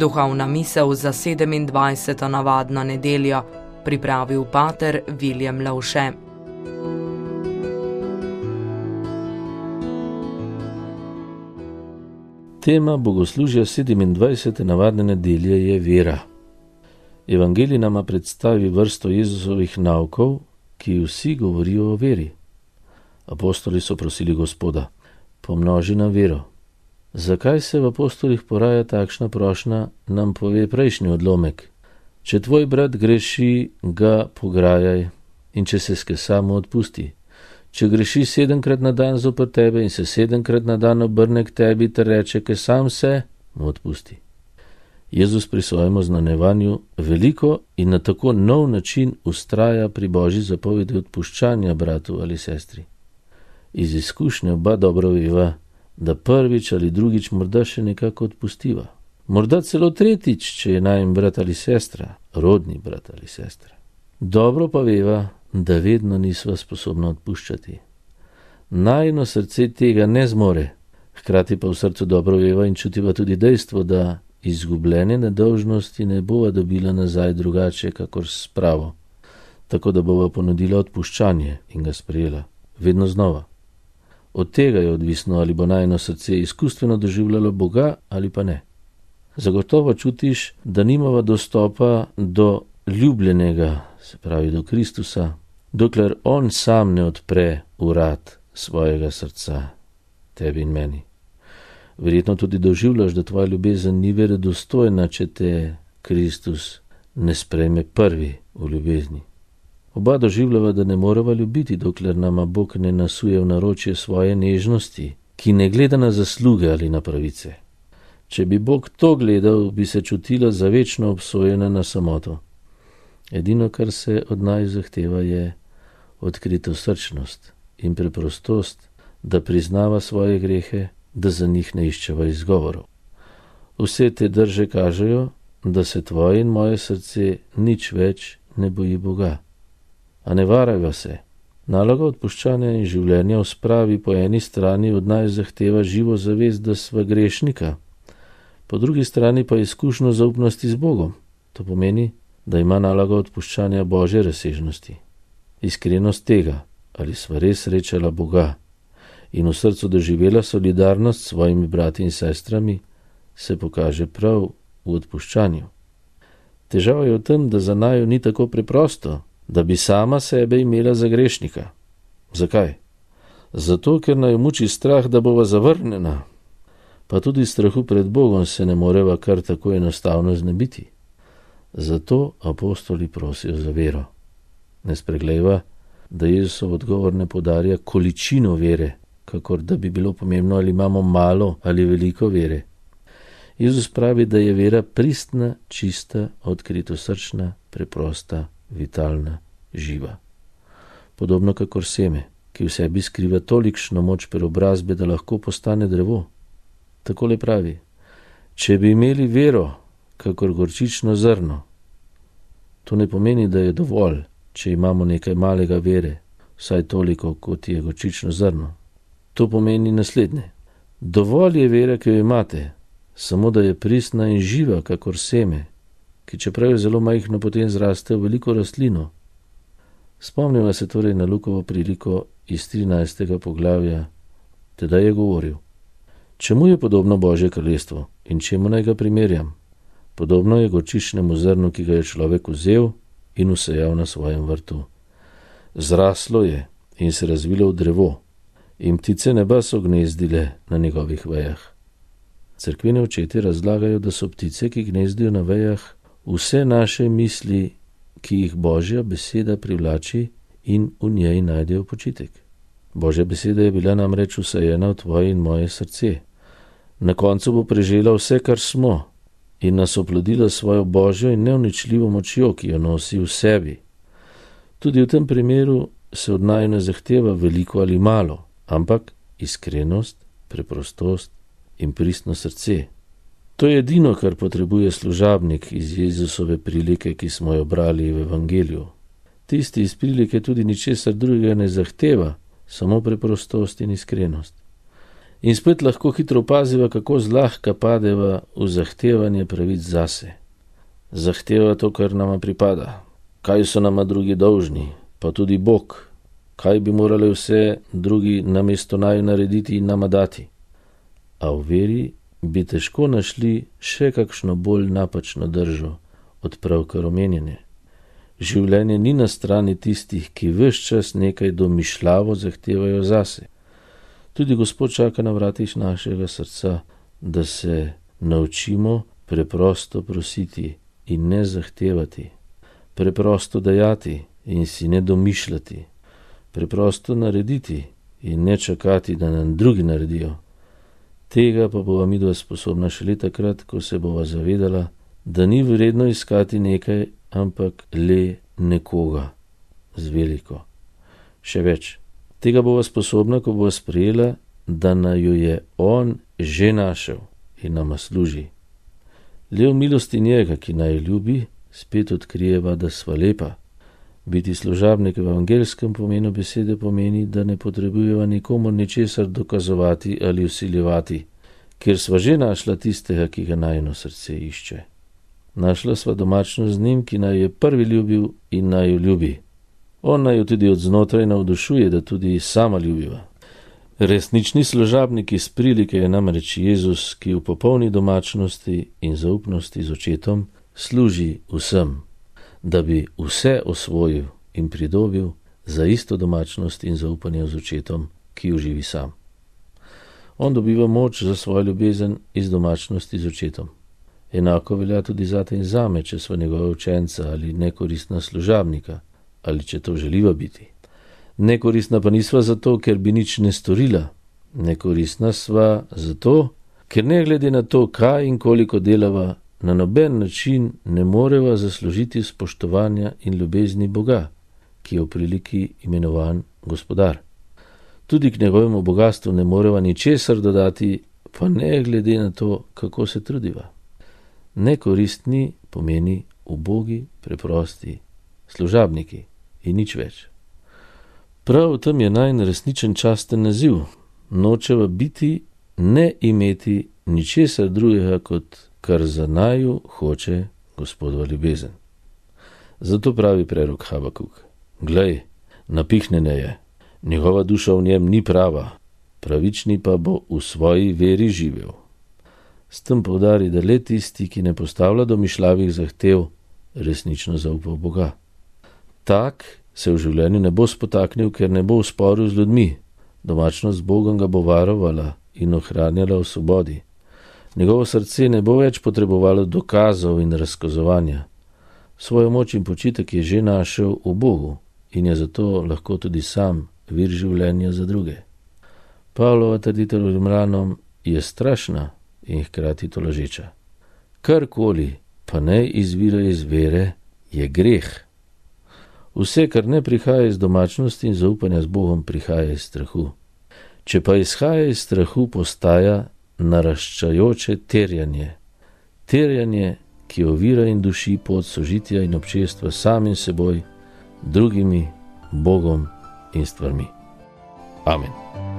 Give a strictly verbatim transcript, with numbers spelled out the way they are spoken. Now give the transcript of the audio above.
Duhovna misel za sedemindvajseto navadno nedeljo pripravil pater Viljem Lavše. Tema bogoslužja sedemindvajsete navadne nedelje je vera. Evangelij nama predstavi vrsto Jezusovih naukov, ki vsi govorijo o veri. Apostoli so prosili Gospoda, pomnoži nam vero. Zakaj se v apostolih poraja takšna prošnja, nam pove prejšnji odlomek. Če tvoj brat greši, ga pograjaj, in če se skesa, mu odpusti. Če greši sedemkrat na dan zoper tebe in se sedemkrat na dan obrne k tebi ter reče, ke sam se, mu odpusti. Jezus pri svojem oznanjevanju veliko in na tako nov način ustraja pri Božji zapovedi odpuščanja bratu ali sestri. Iz izkušnje oba dobro veva, da prvič ali drugič morda še nekako odpustiva. Morda celo tretjič, če je najin brat ali sestra, rodni brat ali sestra. Dobro pa veva, da vedno nisva sposobna odpuščati. Najino srce tega ne zmore, hkrati pa v srcu dobro veva in čutiva tudi dejstvo, da izgubljene nedolžnosti ne bova dobila nazaj drugače, kakor s spravo, tako da bova ponudila odpuščanje in ga sprejela, vedno znova. Od tega je odvisno, ali bo najino srce izkustveno doživljalo Boga ali pa ne. Zagotovo čutiš, da nimava dostopa do ljubljenega, se pravi do Kristusa, dokler on sam ne odpre vrat svojega srca, tebi in meni. Verjetno tudi doživljaš, da tvoja ljubezen ni verodostojna, če te Kristus ne sprejme prvi v ljubezni. Oba doživljava, da ne morava ljubiti, dokler nama Bog ne nasuje v naročje svoje nežnosti, ki ne gleda na zasluge ali na pravice. Če bi Bog to gledal, bi se čutila za večno obsojena na samoto. Edino, kar se od naj zahteva, je odkritosrčnost in preprostost, da priznava svoje grehe, da za njih ne iščeva izgovorov. Vse te drže kažejo, da se tvoje in moje srce nič več ne boji Boga. A ne varajva se. Naloga odpuščanja in življenja v spravi po eni strani od naj zahteva živo zavest, da sva grešnika, po drugi strani pa izkušnjo zaupnosti z Bogom. To pomeni, da ima naloga odpuščanja Božje razsežnosti. Iskrenost tega, ali sva res srečala Boga in v srcu doživela solidarnost s svojimi brati in sestrami, se pokaže prav v odpuščanju. Težava je v tem, da za naju ni tako preprosto, da bi sama sebe imela za grešnika. Zakaj? Zato, ker naju muči strah, da bova zavrnjena, pa tudi strahu pred Bogom se ne moreva kar tako enostavno znebiti. Zato apostoli prosijo za vero. Ne spreglejva, da Jezusov odgovor ne podarja količino vere, kakor da bi bilo pomembno, ali imamo malo ali veliko vere. Jezus pravi, da je vera pristna, čista, odkritosrčna, preprosta, vitalna, živa. Podobno kakor seme, ki v sebi skriva tolikšno moč preobrazbe, da lahko postane drevo. Takole pravi, če bi imeli vero, kakor gorčično zrno, to ne pomeni, da je dovolj, če imamo nekaj malega vere, vsaj toliko, kot je gorčično zrno. To pomeni naslednje. Dovolj je vera, ki jo imate, samo da je pristna in živa, kakor seme, ki čeprav je zelo majhno, potem zraste v veliko rastlino. Spomnimo se torej na Lukovo priliko iz trinajstega poglavja. Tedaj je govoril, čemu je podobno Božje kraljestvo in čemu naj ga primerjam? Podobno je gorčičnemu zrnu, ki ga je človek vzel in usejal na svojem vrtu. Zraslo je in se razvilo v drevo in ptice neba so gnezdile na njegovih vejah. Cerkveni očeti razlagajo, da so ptice, ki gnezdijo na vejah, vse naše misli, ki jih Božja beseda privlači in v njej najdejo počitek. Božja beseda je bila namreč usajena v tvoje in moje srce. Na koncu bo prežela vse, kar smo, in nas oplodila svojo Božjo in neuničljivo močjo, ki jo nosi v sebi. Tudi v tem primeru se od naju ne zahteva veliko ali malo, ampak iskrenost, preprostost in pristno srce. To je edino, kar potrebuje služabnik iz Jezusove prilike, ki smo jo brali v Evangeliju. Tisti iz prilike tudi ničesar drugega ne zahteva, samo preprostost in iskrenost. In spet lahko hitro opaziva, kako zlahka padeva v zahtevanje pravic zase. Zahteva to, kar nama pripada. Kaj so nama drugi dolžni, pa tudi Bog. Kaj bi morali vse drugi namesto naju narediti in nama dati. A v veri bi težko našli še kakšno bolj napačno držo od pravkar omenjene. Življenje ni na strani tistih, ki ves čas nekaj domišljavo zahtevajo zase. Tudi Gospod čaka na vratih našega srca, da se naučimo preprosto prositi in ne zahtevati, preprosto dajati in si ne domišljati, preprosto narediti in ne čakati, da nam drugi naredijo. Tega pa bova midva sposobna šele takrat, ko se bova zavedala, da ni vredno iskati nekaj, ampak le nekoga z veliko. Še več, tega bova sposobna, ko bova sprejela, da naju je On že našel in nama služi. Le v milosti njega, ki naju ljubi, spet odkrijeva, da sva lepa. Biti služabnik v evangelskem pomenu besede pomeni, da ne potrebujeva nikomur ničesar dokazovati ali vsiljevati, ker sva že našla tistega, ki ga najino srce išče. Našla sva domačnost z njim, ki naj je prvi ljubil in naj jo ljubi. On naj jo tudi od znotraj navdušuje, da tudi sama ljubiva. Resnični služabnik iz prilike je namreč Jezus, ki v popolni domačnosti in zaupnosti z očetom služi vsem, da bi vse osvojil in pridobil za isto domačnost in zaupanje z očetom, ki jo živi sam. On dobiva moč za svojo ljubezen iz domačnosti z očetom. Enako velja tudi zate in zame, če sva njegova učenca ali nekoristna služabnika, ali če to želiva biti. Nekoristna pa nisva zato, ker bi nič ne storila. Nekoristna sva zato, ker ne glede na to, kaj in koliko delava, na noben način ne moreva zaslužiti spoštovanja in ljubezni Boga, ki je v priliki imenovan Gospodar. Tudi k njegovemu bogastvu ne moreva ničesar dodati, pa ne glede na to, kako se trudiva. Nekoristni pomeni ubogi, preprosti služabniki in nič več. Prav v tem je najin resničen časten naziv. Nočeva biti, ne imeti ničesar drugega, kot kar za naju hoče Gospodova ljubezen. Zato pravi prerok Habakuk: Glej, napihnjene je, njegova duša v njem ni prava, pravični pa bo v svoji veri živel. S tem poudari, da le tisti, ki ne postavlja domišljavih zahtev, resnično zaupa v Boga. Tak se v življenju ne bo spotaknil, ker ne bo v sporu z ljudmi. Domačnost z Bogom ga bo varovala in ohranjala v svobodi. Njegovo srce ne bo več potrebovalo dokazov in razkazovanja. Svojo moč in počitek je že našel v Bogu in je zato lahko tudi sam vir življenja za druge. Pavlova trditev Rimljanom je strašna in hkrati tolažeča. Karkoli pa ne izvira iz vere, je greh. Vse, kar ne prihaja iz domačnosti in zaupanja z Bogom, prihaja iz strahu. Če pa izhaja iz strahu, postaja naraščajoče terjanje. Terjanje, ki ovira in duši pot sožitja in občestva samim seboj, drugimi, Bogom in stvarmi. Amen.